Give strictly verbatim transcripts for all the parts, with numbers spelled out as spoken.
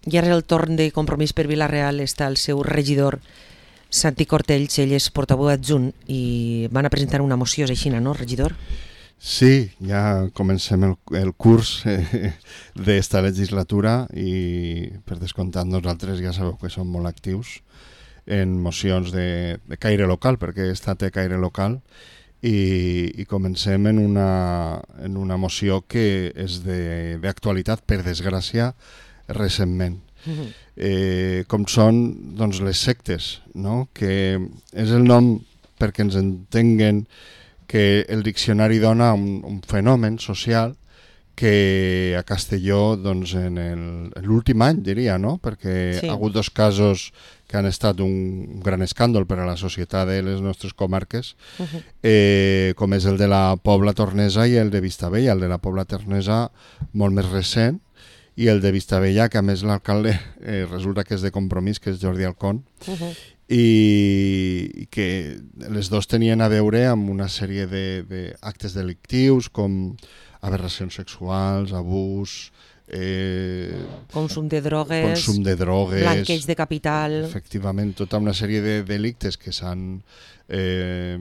I ara és el torn de Compromís per Vila-real, està el seu regidor, Santi Cortells, ell és portaveu adjunt i van a presentar una moció, és així, no, regidor? Sí, ja comencem el, el curs eh, d'esta legislatura i per descomptat nosaltres ja sabeu que som molt actius en mocions de, de caire local, perquè esta té caire local i, i comencem en una, en una moció que és d'actualitat, per desgràcia, recentment. Uh-huh. eh, com són doncs, les sectes, no? Que és el nom perquè ens entenguen que el diccionari dona un, un fenomen social que a Castelló doncs, en l'últim any diria, no? Perquè sí. Ha hagut dos casos que han estat un gran escàndol per a la societat de les nostres comarques, uh-huh. eh, com és el de la Pobla Tornesa i el de Vistabella. El de la Pobla Tornesa molt més recent, i el de Vistabella, que a més l'alcalde eh, resulta que és de Compromís, que és Jordi Alcón, uh-huh. i, i que les dos tenien a veure amb una sèrie d'actes de, delictius com aberracions sexuals, abús, eh, consum de drogues, consum de drogues, blanqueig de capital... Efectivament, tota una sèrie de delictes que s'han eh,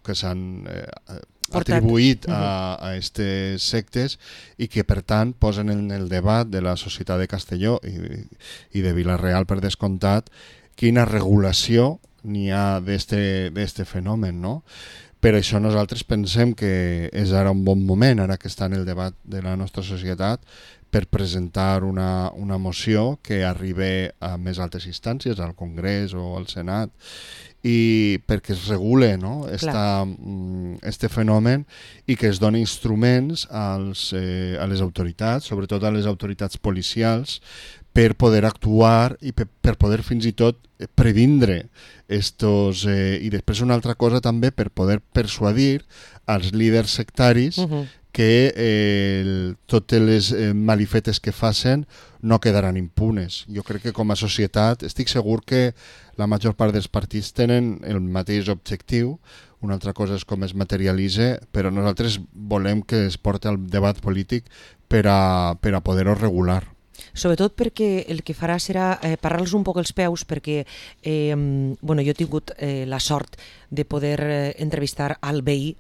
que s'han eh, atribuït a, a aquestes sectes i que per tant posen en el debat de la societat de Castelló i, i de Vila-real per descomptat quina regulació n'hi ha d'este fenomen, no? Per això nosaltres pensem que és ara un bon moment, ara que està en el debat de la nostra societat, per presentar una, una moció que arribi a més altes instàncies, al Congrés o al Senat, i perquè es regule, no? Esta, este fenomen i que es doni instruments als, eh, a les autoritats, sobretot a les autoritats policials, per poder actuar i per, per poder fins i tot previndre estos, eh, i després una altra cosa també per poder persuadir als líders sectaris uh-huh. que eh, totes les eh, malifetes que facin no quedaran impunes. Jo crec que com a societat estic segur que la major part dels partits tenen el mateix objectiu, una altra cosa és com es materialitza, però nosaltres volem que es porti al debat polític per a, per a poder-ho regular. Sobretot perquè el que farà serà eh, parar-los un poc els peus, perquè eh, bueno, jo he tingut eh, la sort de poder eh, entrevistar al veí.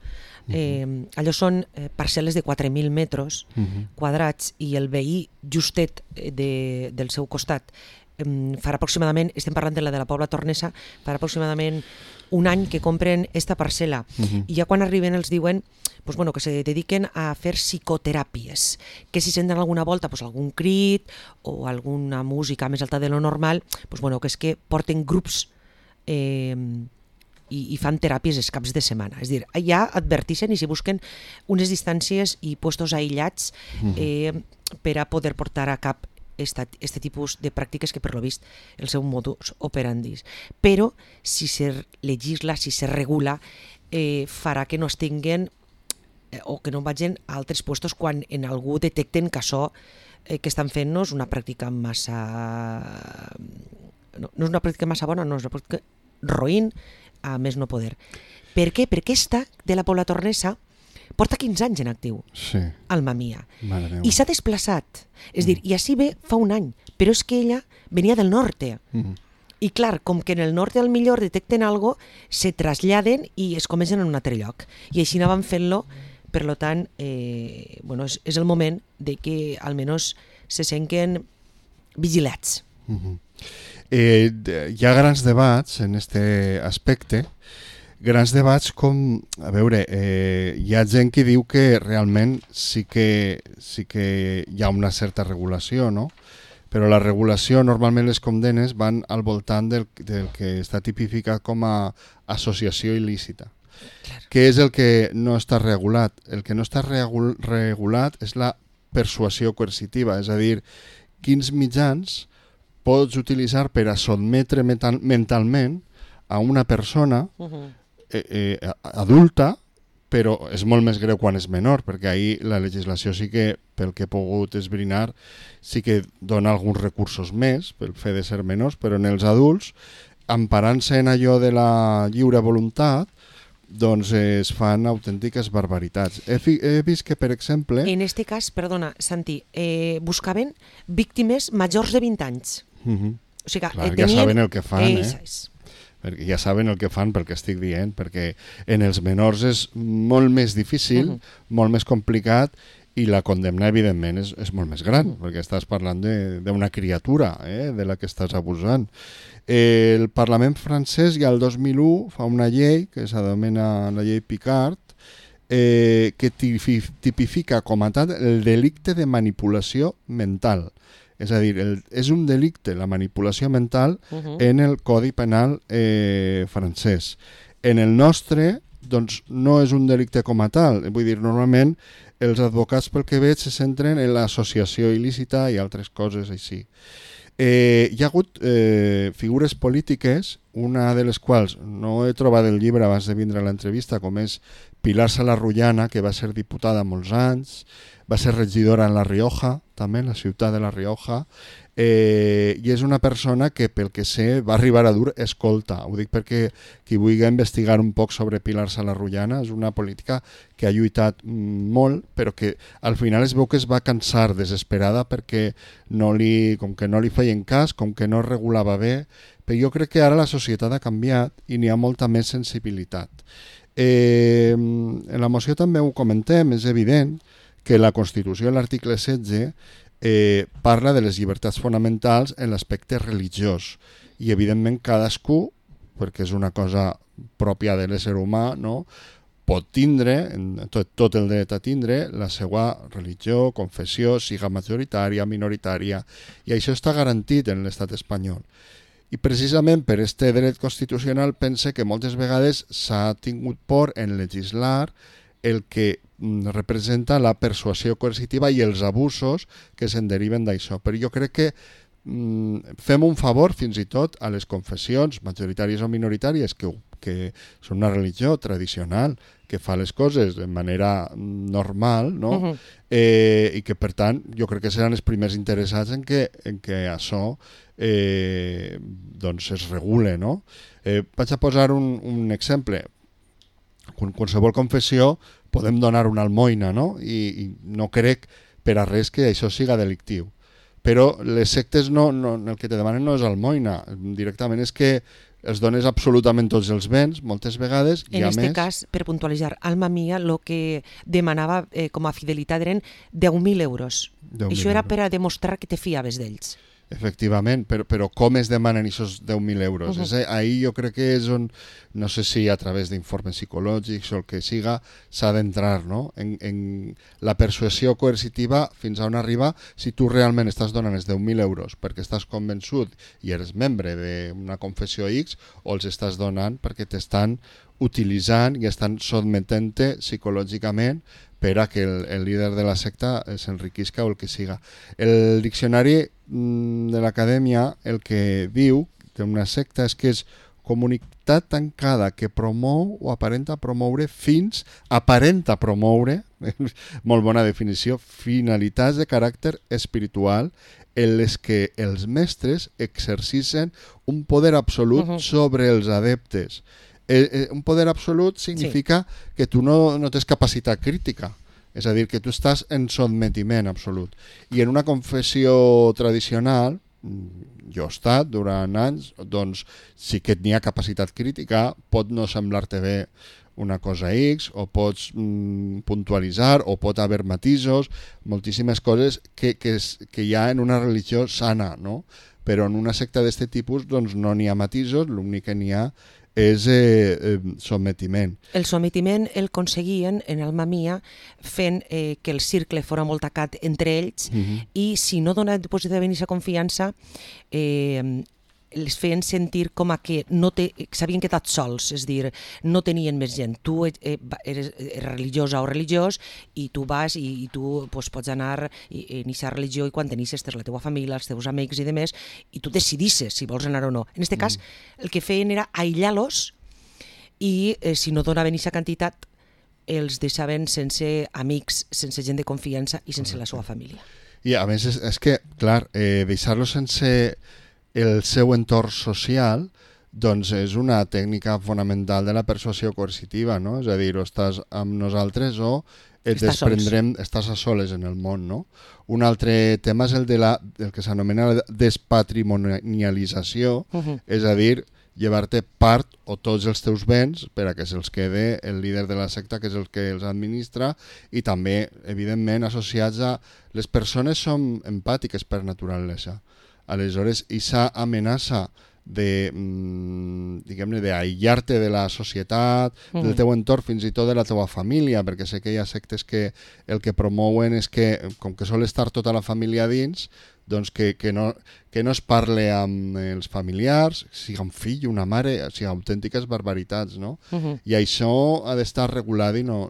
Eh, allò són eh, parcel·les de quatre mil metres uh-huh. quadrats i el veí justet de, del seu costat eh, farà aproximadament, estem parlant de la de la Pobla Tornesa, farà aproximadament un any que compren esta parcel·la uh-huh. i ja quan arriben els diuen pues bueno, que se dediquen a fer psicoteràpies, que si senten alguna volta pues algun crit o alguna música més alta de lo normal, pues bueno, que és que porten grups eh, i, i fan teràpies els caps de setmana. És a dir, ja adverteixen i si busquen unes distàncies i puestos aïllats eh, per a poder portar a cap este tipus de pràctiques que per lo vist el seu modus operandi. Però si se legisla, si se regula, eh, farà que no es tinguen eh, o que no vagin a altres puestos quan en algú detecten que això eh, que estan fent no és una pràctica massa... No, no és una pràctica massa bona, no és una pràctica roïn, a més no poder. Per què? Perquè esta de la Pobla Tornesa porta quinze anys en actiu, sí. Alma mia, i s'ha desplaçat. És mm. dir, i així ve fa un any, però és que ella venia del norte. Mm. I clar, com que en el norte al millor detecten algo, se traslladen i es comencen en un altre lloc. I així anaven fent-lo, per tant, eh, bueno, és, és el moment de que almenys se senten vigilats. Mm-hmm. Eh, hi ha grans debats en aquest aspecte, grans debats com, a veure, eh, hi ha gent que diu que realment sí que, sí que hi ha una certa regulació, no? Però la regulació, normalment les condemnes van al voltant del, del que està tipificat com a associació il·lícita. Claro. Què és el que no està regulat? El que no està regul regulat és la persuasió coercitiva, és a dir, quins mitjans pots utilitzar per a sotmetre mental, mentalment a una persona uh-huh. eh, eh, adulta, però és molt més greu quan és menor, perquè ahir la legislació sí que, pel que he pogut esbrinar, sí que dona alguns recursos més pel fet de ser menors, però en els adults, emparant-se en allò de la lliure voluntat, doncs es fan autèntiques barbaritats. He, fi, he vist que, per exemple... En este cas, perdona, Santi, eh, buscaven víctimes majors de vint anys. Uh-huh. O sigui, Clar, eh, ja tenien... saben el que fan, eh, eh? Perquè ja saben el que fan pel que estic dient, perquè en els menors és molt més difícil, uh-huh. molt més complicat, i la condemna, evidentment, és, és molt més gran, uh-huh. perquè estàs parlant d'una criatura eh, de la que estàs abusant. Eh, el Parlament francès ja el dos mil u fa una llei que s'anomena la llei Picard, eh, que tipifica com a tal el delicte de manipulació mental. És a dir, el, és un delicte, la manipulació mental, uh-huh. en el Codi Penal eh, francès. En el nostre, doncs, no és un delicte com a tal. Vull dir, normalment, els advocats, pel que veig, se centren en l'associació il·lícita i altres coses així. Eh, hi ha hagut eh, figures polítiques, una de les quals no he trobat el llibre abans de vindre a l'entrevista, com és Pilar Salarrullana, que va ser diputada molts anys, va ser regidora en La Rioja, també, en la ciutat de La Rioja, eh, i és una persona que, pel que sé, va arribar a dur escolta. Ho dic perquè qui vulgui investigar un poc sobre Pilar Salarrullana és una política que ha lluitat molt, però que al final es veu que es va cansar desesperada perquè no li, com que no li feien cas, com que no regulava bé, però jo crec que ara la societat ha canviat i n'hi ha molta més sensibilitat. Eh, en la moció també ho comentem, és evident que la Constitució, l'article setze, eh, parla de les llibertats fonamentals en l'aspecte religiós i evidentment cadascú, perquè és una cosa pròpia de l'ésser humà, no? Pot tindre, tot, tot el dret a tindre, la seva religió, confessió, siga majoritària, minoritària, i això està garantit en l'estat espanyol. I precisament per aquest dret constitucional pense que moltes vegades s'ha tingut por en legislar el que representa la persuasió coercitiva i els abusos que se'n deriven d'això. Però jo crec que mm, fem un favor fins i tot a les confessions majoritàries o minoritàries que, que són una religió tradicional que fa les coses de manera normal, no? Uh-huh. eh, i que per tant jo crec que seran els primers interessats en que, en que això eh, doncs es regule, no? Eh, vaig a posar un, un exemple. Con qualsevol confessió podem donar una almoina, no? I, i no crec per a res que això siga delictiu. Però les sectes no, no, el que te demanen no és almoina, directament és que els dones absolutament tots els béns, moltes vegades, i en a este més... cas, per puntualitzar, Alma Mia el que demanava eh, com a fidelitat eren deu mil euros. deu mil Això era euros. per a demostrar que te fiaves d'ells. Efectivament, però, però com es demanen aquests deu mil euros? Uh-huh. És, ahí jo crec que és on, no sé si a través d'informes psicològics o el que siga, s'ha d'entrar, no? En, en la persuasió coercitiva fins a on arriba si tu realment estàs donant els deu mil euros perquè estàs convençut i eres membre d'una confessió X, o els estàs donant perquè t'estan utilitzant i estan sotmetent-te psicològicament per a que el, el líder de la secta s'enriquisca o el que siga. El diccionari mm, de l'acadèmia el que diu d'una secta és que és comunitat tancada que promou o aparenta promoure fins, aparenta promoure, molt bona definició, finalitats de caràcter espiritual en les que els mestres exercicen un poder absolut uh-huh. sobre els adeptes. Eh, eh, un poder absolut significa sí. que tu no, no tens capacitat crítica, és a dir, que tu estàs en sotmetiment absolut. I en una confessió tradicional, jo he estat durant anys, doncs sí que n'hi ha capacitat crítica, pot no semblar-te bé una cosa X, o pots mm, puntualitzar, o pot haver matisos, moltíssimes coses que, que, és, que hi ha en una religió sana, no? Però en una secta d'aquest tipus doncs, no n'hi ha matisos, l'únic que n'hi ha és eh, eh, sotmetiment. El sotmetiment el aconseguien en Alma Mia fent eh, que el cercle fora molt tacat entre ells uh-huh. i si no donaven positivament aquesta confiança eh, les feien sentir com a que no te, s'havien quedat sols, és dir, no tenien més gent. Tu eh, eres religiosa o religiós i tu vas i, i tu pues, pots anar i, en aquesta religió i quan tenisses la teva família, els teus amics i demés, i tu decidisses si vols anar o no. En aquest cas, mm. el que feien era aïllar-los i eh, si no donaven aquesta quantitat els deixaven sense amics, sense gent de confiança i sense la seva família. I a més és, és que, clar, eh, deixar-los sense el seu entorn social doncs és una tècnica fonamental de la persuasió coercitiva, no? És a dir, o estàs amb nosaltres o et Estàs desprendrem, estàs a soles en el món, no? Un altre tema és el de la, el que s'anomena la despatrimonialització, uh -huh. és a dir, llevar-te part o tots els teus béns per a que se'ls quede el líder de la secta, que és el que els administra, i també, evidentment, associats a... Les persones són empàtiques per naturalesa. Aleshores, aquesta amenaça de, diguem-ne, d'aïllar-te de la societat, mm. del teu entorn, fins i tot de la teva família, perquè sé que hi ha sectes que el que promouen és que, com que sol estar tota la família dins, doncs que, que, no, que no es parle amb els familiars, sigui un fill, una mare, o sigui, autèntiques barbaritats, no? Uh -huh. I això ha d'estar regulat i no,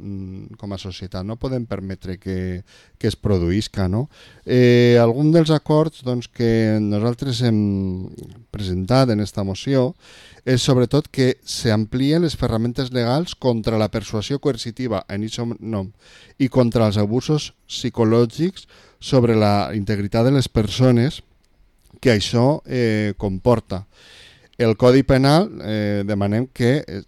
com a societat no podem permetre que, que es produïsca, no? Eh, algun dels acords doncs, que nosaltres hem presentat en esta moció és sobretot que s'amplien les ferramentes legals contra la persuasió coercitiva en aquest nom i contra els abusos psicològics sobre la integritat de les persones que això eh, comporta. El Codi Penal eh, demanem que eh,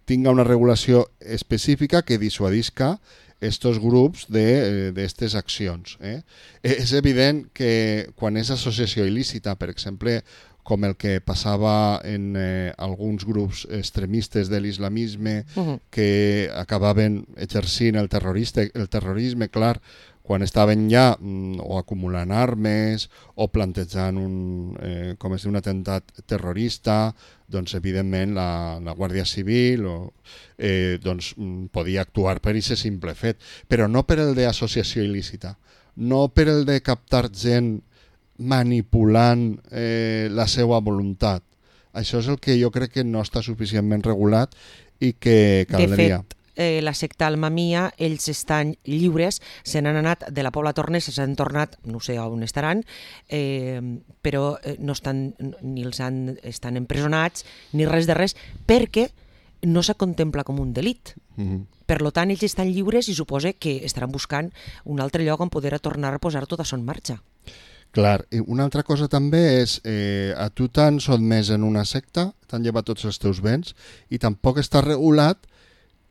tinga una regulació específica que dissuadisca estos grups d'aquestes accions. Eh? És evident que quan és associació il·lícita, per exemple, com el que passava en eh, alguns grups extremistes de l'islamisme uh-huh. que acabaven exercint el, terrorista, el terrorisme, clar, quan estaven ja mm, o acumulant armes o plantejant un, eh, com és un atemptat terrorista, doncs evidentment la, la Guàrdia Civil o, eh, doncs, podia actuar per aquest simple fet, però no per el d'associació il·lícita, no per el de captar gent manipulant eh, la seva voluntat. Això és el que jo crec que no està suficientment regulat i que caldria. De fet, eh, la secta Almamia, ells estan lliures, se n'han anat de la Pobla Tornesa, s'han tornat, no sé on estaran, eh, però no estan, ni els han, estan empresonats, ni res de res, perquè no se contempla com un delit. Mm-hmm. Per tant, ells estan lliures i suposa que estaran buscant un altre lloc on poder tornar a posar tot això en marxa. Clar, i una altra cosa també és eh, a tu t'han sotmès en una secta, t'han llevat tots els teus béns i tampoc està regulat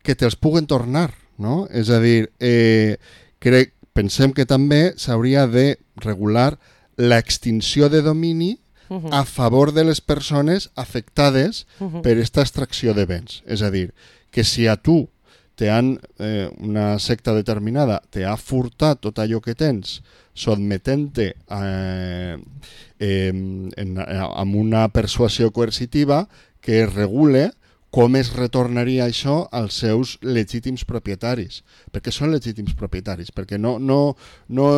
que te'ls puguen tornar, no? És a dir, eh, crec, pensem que també s'hauria de regular l'extinció de domini uh-huh. a favor de les persones afectades uh-huh. per aquesta extracció de béns. És a dir, que si a tu te han, eh, una secta determinada te ha furtat tot allò que tens sotmetent-te eh, eh, en, amb una persuasió coercitiva que es regule com es retornaria això als seus legítims propietaris. Perquè són legítims propietaris, perquè no, no, no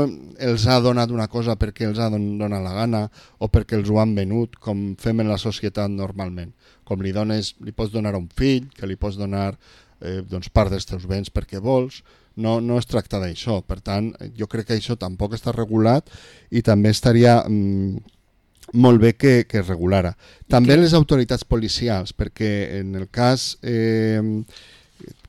els ha donat una cosa perquè els ha donat la gana o perquè els ho han venut, com fem en la societat normalment. Com li, dones, li pots donar a un fill, que li pots donar eh, doncs part dels teus béns perquè vols, no, no es tracta d'això. Per tant, jo crec que això tampoc està regulat i també estaria mm, molt bé que, que es regulara. També que... les autoritats policials, perquè en el cas, eh,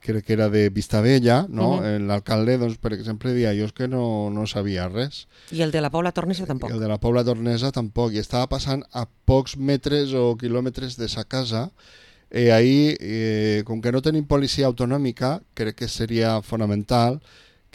crec que era de Vistabella, no? Uh-huh. L'alcalde, doncs, per exemple, deia jo que no, no sabia res. I el de la Pobla Tornesa tampoc. I el de la Pobla Tornesa tampoc. I estava passant a pocs metres o quilòmetres de sa casa. I ahir, eh, com que no tenim policia autonòmica, crec que seria fonamental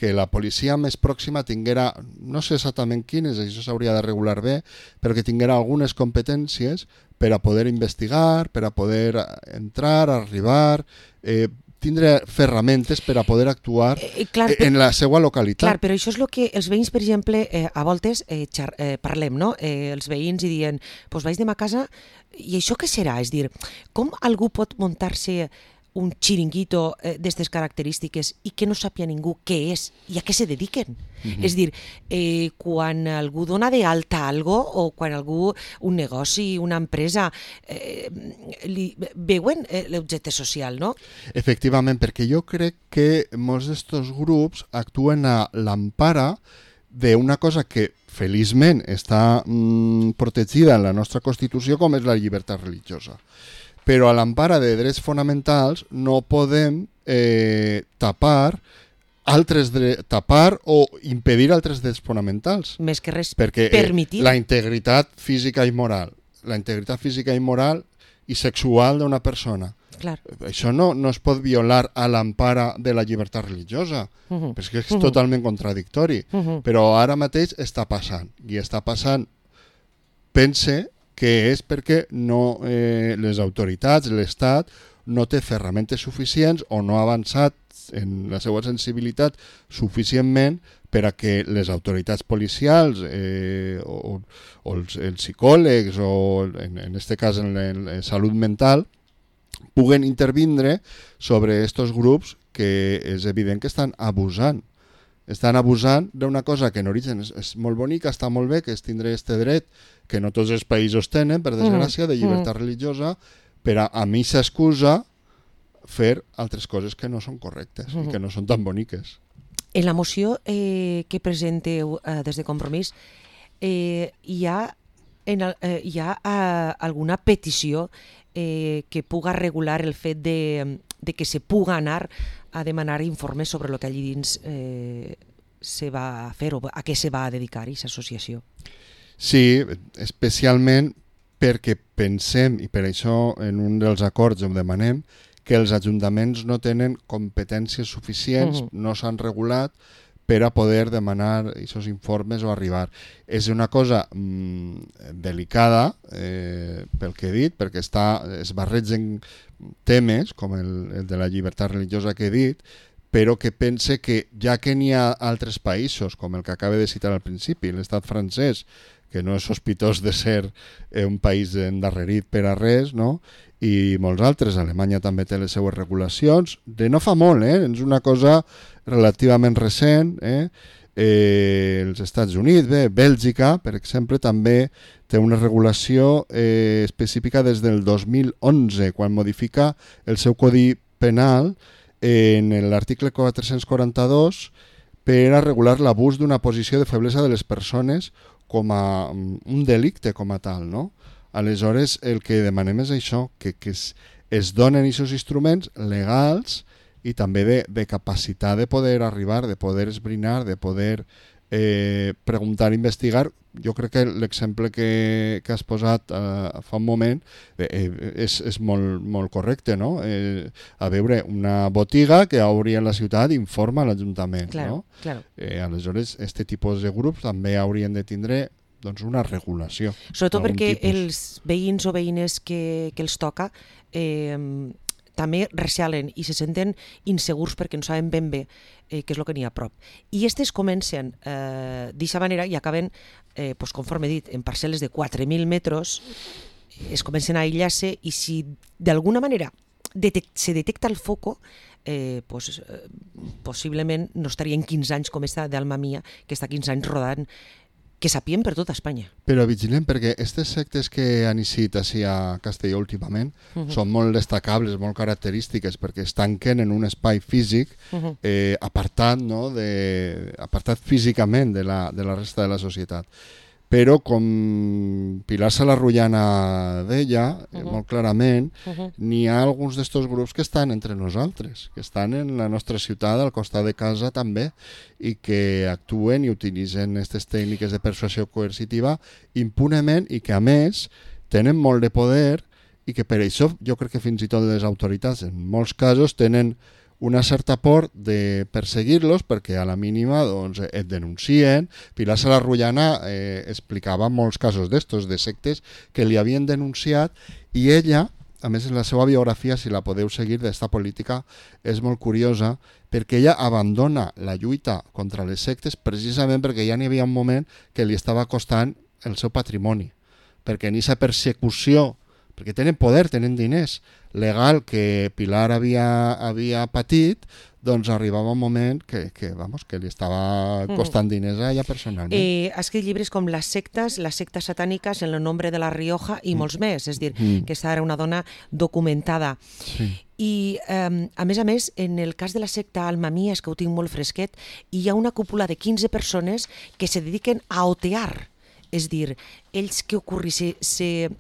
que la policia més pròxima tinguera, no sé exactament quines, això s'hauria de regular bé, però que tinguera algunes competències per a poder investigar, per a poder entrar, arribar, eh, tindre ferramentes per a poder actuar eh, clar, en la seva localitat. Clar, però això és el que els veïns, per exemple, eh, a voltes eh, xar, eh, parlem, no? Eh, els veïns i diuen, doncs vaig de ma casa, i això què serà? És dir, com algú pot muntar-se un xiringuito eh, d'aquestes característiques i que no sàpia ningú què és i a què se dediquen? Mm-hmm. És dir, eh, quan algú dona de alta algo o quan algú, un negoci, una empresa, eh, li, veuen eh, l'objecte social, no? Efectivament, perquè jo crec que molts d'estos grups actuen a l'empara d'una cosa que feliçment està mm, protegida en la nostra Constitució, com és la llibertat religiosa. Però a l'empara de drets fonamentals no podem eh, tapar altres dre- tapar o impedir altres drets fonamentals. Més que res, perquè, permitir. Eh, la integritat física i moral, la integritat física i moral i sexual d'una persona. Clar. Això no, no es pot violar a l'empara de la llibertat religiosa, uh -huh. perquè és uh -huh. totalment contradictori. Uh -huh. Però ara mateix està passant, i està passant, pense que és perquè no, eh, les autoritats, l'Estat, no té ferramentes suficients o no ha avançat en la seva sensibilitat suficientment per a que les autoritats policials eh, o, o els, els psicòlegs o en, en este cas en la, en la salut mental puguen intervindre sobre estos grups que és evident que estan abusant. Estan abusant d'una cosa que en origen és, és molt bonica, està molt bé, que és tindre este dret que no tots els països tenen, per desgràcia, de llibertat mm. religiosa, però a mi s'excusa fer altres coses que no són correctes mm. i que no són tan boniques. En la moció eh, que presenteu eh, des de Compromís, eh, hi ha, en el, eh, hi ha eh, alguna petició eh, que puga regular el fet de, de que se puga anar a demanar informes sobre el que allí dins eh, se va a fer o a què se va a dedicar aquesta associació? Sí, especialment perquè pensem, i per això en un dels acords ho demanem, que els ajuntaments no tenen competències suficients, uh -huh. no s'han regulat per a poder demanar aquests informes o arribar. És una cosa mmm, delicada, eh, pel que he dit, perquè està, es barregen temes, com el, el de la llibertat religiosa que he dit, però que pense que ja que n'hi ha altres països, com el que acaba de citar al principi, l'estat francès, que no és sospitós de ser eh, un país endarrerit per a res, no? I molts altres, Alemanya també té les seues regulacions, de no fa molt, eh? És una cosa relativament recent, eh? Eh, els Estats Units, bé, Bèlgica, per exemple, també té una regulació eh, específica des del dos mil onze, quan modifica el seu codi penal en l'article quatre-cents quaranta-dos per a regular l'abús d'una posició de feblesa de les persones com a un delicte com a tal, no? Aleshores, el que demanem és això, que, que es, es donen aquests instruments legals i també de, de capacitat de poder arribar, de poder esbrinar, de poder eh, preguntar, investigar. Jo crec que l'exemple que, que has posat eh, fa un moment eh, és, és molt, molt correcte, no? Eh, a veure, una botiga que obri a la ciutat informa a l'Ajuntament, claro, no? Claro. Eh, aleshores, aquest tipus de grups també haurien de tindre doncs una regulació. Sobretot perquè tipus. Els veïns o veïnes que, que els toca eh, també recelen i se senten insegurs perquè no saben ben bé eh, què és el que n'hi ha a prop. I aquestes comencen eh, d'aquesta manera i acaben, eh, pues, conforme he dit, en parcel·les de quatre mil metres, es comencen a aïllar-se i si d'alguna manera detec- se detecta el foco, eh, pues, eh, possiblement no estaria en quinze anys com esta d'Alma Mia, que està quinze anys rodant, que sapien per tota Espanya. Però vigilem, perquè aquestes sectes que han eixit així a Castelló últimament uh -huh. són molt destacables, molt característiques, perquè es tanquen en un espai físic uh -huh. eh, apartat, no? de, apartat físicament de la, de la resta de la societat. Però com Pilar Salarrullana deia, uh -huh. molt clarament, uh -huh. n'hi ha alguns d'estos grups que estan entre nosaltres, que estan en la nostra ciutat, al costat de casa també, i que actuen i utilitzen aquestes tècniques de persuasió coercitiva impunement i que, a més, tenen molt de poder i que per això jo crec que fins i tot les autoritats en molts casos tenen una certa por de perseguir-los perquè a la mínima doncs, et denuncien. Pilar Salarrullana eh, explicava molts casos d'estos, de sectes que li havien denunciat i ella, a més en la seva biografia, si la podeu seguir d'esta política, és molt curiosa perquè ella abandona la lluita contra les sectes precisament perquè ja n'hi havia un moment que li estava costant el seu patrimoni, perquè en aquesta persecució, perquè tenen poder, tenen diners, legal que Pilar havia, havia patit, doncs arribava un moment que, que, vamos, que li estava costant mm. diners a ella personalment. Eh, ha escrit llibres com Les sectes, les sectes satàniques, En el nombre de la Rioja i mm. molts més, és dir, mm. que aquesta era una dona documentada. Sí. I, eh, a més a més, en el cas de la secta Alma Mia, és que ho tinc molt fresquet, hi ha una cúpula de quinze persones que se dediquen a otear, és dir, ells que ocorri, se, se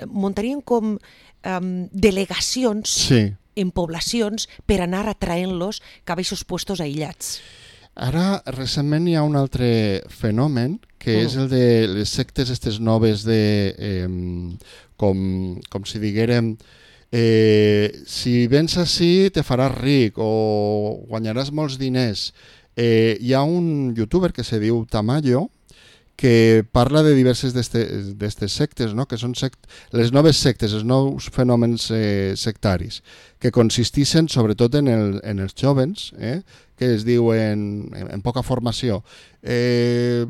muntarien com um, delegacions sí. en poblacions per anar atraent-los cap a aquests puestos aïllats. Ara, recentment hi ha un altre fenomen, que mm. és el de les sectes aquestes noves de, eh, com, com si diguérem, eh, si vens així te faràs ric o guanyaràs molts diners. Eh, hi ha un youtuber que se diu Tamayo, que parla de diverses d'aquestes sectes, no? Que són sect... les noves sectes, els nous fenòmens eh, sectaris, que consisteixen sobretot en, el, en els jovens, eh? Que es diuen en, en poca formació. Eh,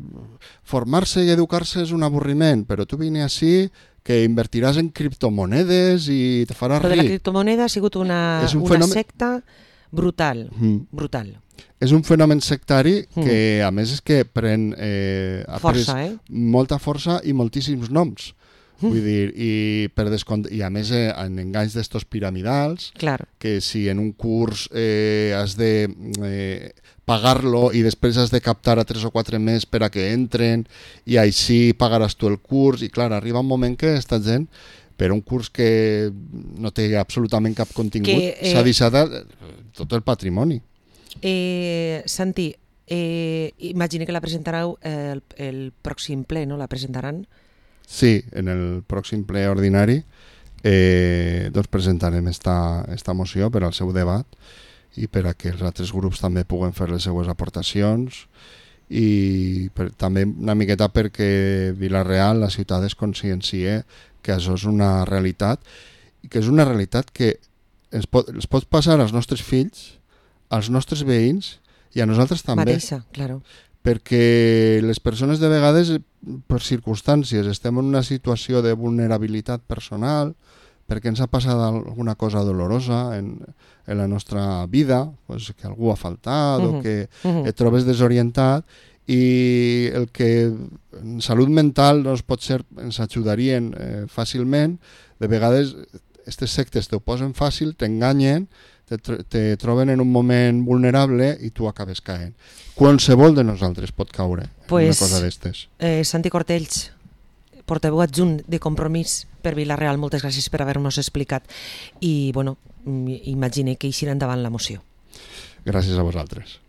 formar-se i educar-se és un avorriment, però tu vine així que invertiràs en criptomonedes i te faràs ric. Però de la criptomoneda ha sigut una, un una fenomen... secta brutal, mm. brutal. És un fenomen sectari que, mm. a més, és que pren eh, força, eh? molta força i moltíssims noms. Mm. Vull dir, i, per descont... i a més eh, en enganys d'estos piramidals, claro. Que si en un curs eh, has de eh, pagar-lo i després has de captar a tres o quatre més per a que entren i així pagaràs tu el curs, i clar, arriba un moment que esta gent, per un curs que no té absolutament cap contingut, que, eh... s'ha deixat tot el patrimoni. Eh, Santi, eh, imagine que la presentareu el, el pròxim ple, no? La presentaran? Sí, en el pròxim ple ordinari eh, doncs presentarem esta, esta moció per al seu debat i per a que els altres grups també puguen fer les seues aportacions i per, també una miqueta perquè Vila-real, la ciutat, es consciencie que això és una realitat i que és una realitat que ens pot, ens pot passar als nostres fills, als nostres veïns i a nosaltres també. Mateixa, claro. Perquè les persones de vegades, per circumstàncies, estem en una situació de vulnerabilitat personal, perquè ens ha passat alguna cosa dolorosa en, en la nostra vida, pues, que algú ha faltat uh-huh. o que uh-huh. et trobes desorientat, i el que en salut mental doncs, pot ser, ens ajudarien eh, fàcilment. De vegades aquestes sectes t'ho posen fàcil, t'enganyen, te, te troben en un moment vulnerable i tu acabes caent. Qualsevol de nosaltres pot caure pues, en una cosa d'estes. Eh, Santi Cortells, portaveu adjunt de Compromís per Vila-real, moltes gràcies per haver-nos explicat i bueno, imagine que eixirà endavant la moció. Gràcies a vosaltres.